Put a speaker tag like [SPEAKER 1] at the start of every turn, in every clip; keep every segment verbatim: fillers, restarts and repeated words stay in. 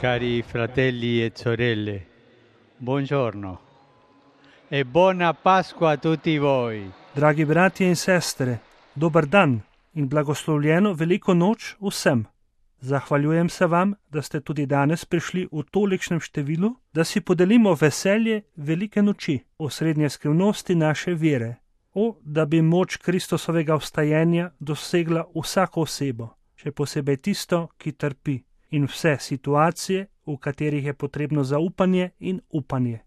[SPEAKER 1] Cari fratelli e sorelle, buongiorno e buona Pasqua a tutti voi.
[SPEAKER 2] Dragi bratje in sestre, dober dan in blagoslovljeno veliko noč vsem. Zahvaljujem se vam, da ste tudi danes prišli v tolikšnem številu, da si podelimo veselje velike noči, osrednje skrivnosti naše vere. O, da bi moč Kristusovega vstajenja dosegla vsako osebo, še posebej tisto, ki trpi, in vse situacije, v katerih je potrebno zaupanje in upanje.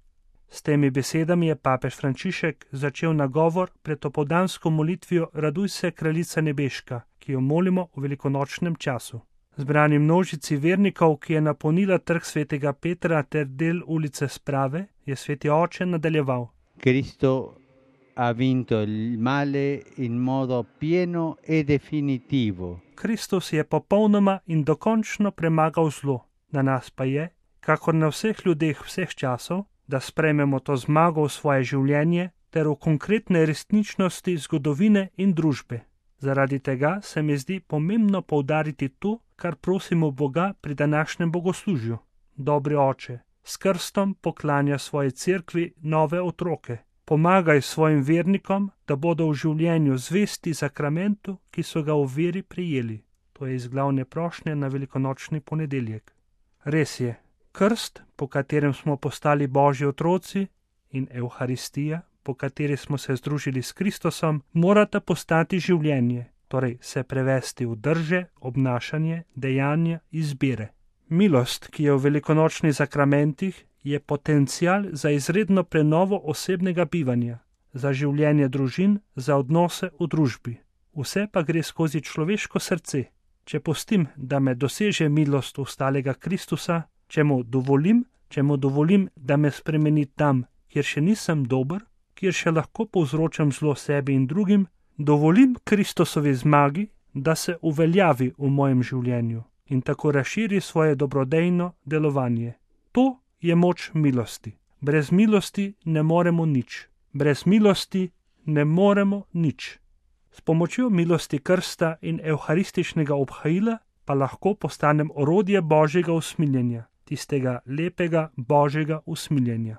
[SPEAKER 2] S temi besedami je papež Frančišek začel nagovor pred opoldansko molitvijo Raduj se, kraljica nebeška, ki jo molimo v velikonočnem času. Zbrani množici vernikov, ki je napolnila trg svetega Petra ter del ulice Sprave, je sveti oče nadaljeval.
[SPEAKER 1] Cristo ha vinto il male in modo pieno e definitivo.
[SPEAKER 2] Kristus je popolnoma in dokončno premagal zlo. Na nas pa je, kakor na vseh ljudeh vseh časov, da sprejmemo to zmago v svoje življenje ter v konkretne resničnosti zgodovine in družbe. Zaradi tega se mi zdi pomembno poudariti to, kar prosimo Boga pri današnjem bogoslužju. Dobri oče, s krstom poklanja svoji cerkvi nove otroke. Pomagaj svojim vernikom, da bodo v življenju zvesti sakramentu, ki so ga v veri prijeli. To je iz glavne prošnje na velikonočni ponedeljek. Res je, krst, po katerem smo postali Božji otroci, in Evharistija, po kateri smo se združili s Kristusom, morata postati življenje, torej se prevesti v drže, obnašanje, dejanja, izbire. Milost, ki je v velikonočnih sakramentih, je potencial za izredno prenovo osebnega bivanja, za življenje družin, za odnose v družbi. Vse pa gre skozi človeško srce. Če pustim, da me doseže milost ustalega Kristusa, če mu dovolim, če mu dovolim, da me spremeni tam, kjer še nisem dober, kjer še lahko povzročam zlo sebi in drugim, dovolim Kristusovi zmagi, da se uveljavi v mojem življenju in tako razširi svoje dobrodejno delovanje. To je moč milosti. Brez milosti ne moremo nič. Brez milosti ne moremo nič. S pomočjo milosti krsta in evharističnega obhajila pa lahko postanem orodje Božjega usmiljenja, tistega lepega Božjega usmiljenja.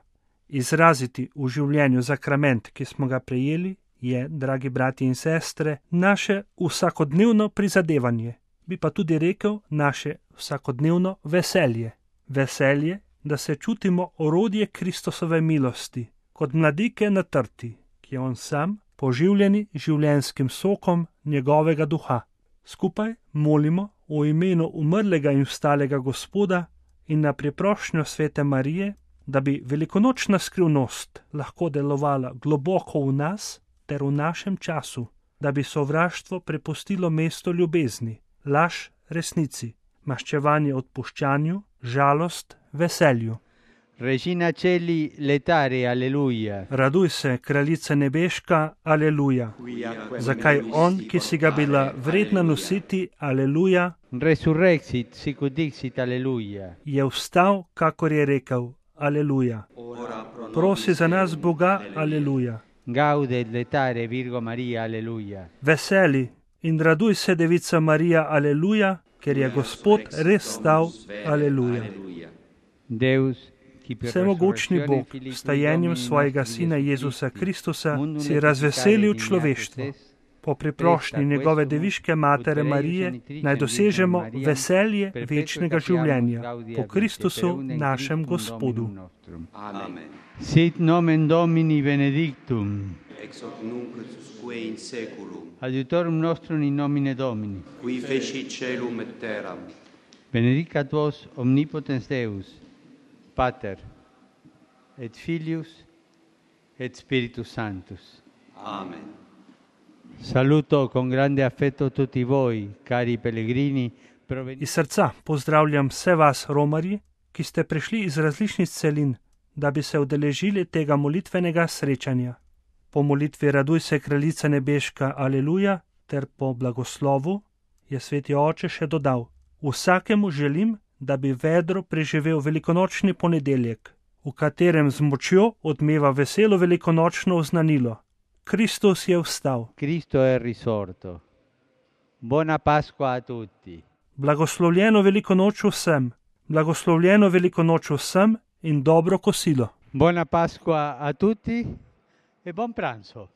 [SPEAKER 2] Izraziti v življenju sakrament, ki smo ga prejeli, je, dragi brati in sestre, naše vsakodnevno prizadevanje, bi pa tudi rekel naše vsakodnevno veselje. Veselje, da se čutimo orodje Kristusove milosti, kot mladike na trti, ki je on sam, poživljeni življenjskim sokom njegovega duha. Skupaj molimo v imenu umrlega in vstalega Gospoda in na priprošnjo svete Marije, da bi velikonočna skrivnost lahko delovala globoko v nas ter v našem času, da bi sovraštvo prepustilo mesto ljubezni, laž resnici, maščevanje odpuščanju, žalost veselju.
[SPEAKER 1] Regina Celi letare, aleluja.
[SPEAKER 2] Raduj se, kraljica nebeška, aleluja. Zakaj on, ki si ga bila vredna nositi, aleluja,
[SPEAKER 1] Resurrexit, sicut dixit, aleluja.
[SPEAKER 2] je vstal, kakor je rekel, aleluja. Prosi za nas Boga, aleluja.
[SPEAKER 1] Gaudet letare, Virgo Maria, aleluja.
[SPEAKER 2] Veseli in raduj se, devica Marija, aleluja, ker je Gospod res stal, aleluja.
[SPEAKER 1] Deus, ki per
[SPEAKER 2] Vsemogočni
[SPEAKER 1] resurrectione
[SPEAKER 2] Bog,
[SPEAKER 1] Filii
[SPEAKER 2] vstajenjem
[SPEAKER 1] Domini
[SPEAKER 2] svojega
[SPEAKER 1] nostri
[SPEAKER 2] Sina
[SPEAKER 1] Jesu
[SPEAKER 2] Jezusa
[SPEAKER 1] Christi,
[SPEAKER 2] Kristusa
[SPEAKER 1] mundum
[SPEAKER 2] si razveselil
[SPEAKER 1] necessitare
[SPEAKER 2] človeštvo.
[SPEAKER 1] dignatus est,
[SPEAKER 2] Po priprošnji njegove deviške matere Marije naj dosežemo veselje večnega življenja po Kristusu našem Gospodu.
[SPEAKER 3] Amen.
[SPEAKER 1] Sit nomen Domini benedictum,
[SPEAKER 3] Ex hoc nunc usque in seculum,
[SPEAKER 1] adiutorum nostrum in nomine Domini.
[SPEAKER 3] qui fecit celum et terram,
[SPEAKER 1] Benedicat vos omnipotens Deus, Pater, et Filius, et Spiritus Sanctus.
[SPEAKER 3] Amen.
[SPEAKER 1] Saluto con grande affetto tutti voi, cari pellegrini, provenienti
[SPEAKER 2] Iz srca pozdravljam vse vas, romarji, ki ste prišli iz različnih celin, da bi se udeležili tega molitvenega srečanja. Po molitvi Raduj se, kraljica nebeška, aleluja, ter po blagoslovu je sveti oče še dodal: Vsakemu želim, da bi vedro preživel velikonočni ponedeljek, v katerem z močjo odmeva veselo velikonočno oznanilo: Kristus je vstal.
[SPEAKER 1] Cristo è risorto. Buona Pasqua a tutti.
[SPEAKER 2] Blagoslovljeno veliko noč vsem, Blagoslovljeno veliko noč vsem in dobro kosilo.
[SPEAKER 1] Buona Pasqua a tutti e buon pranzo.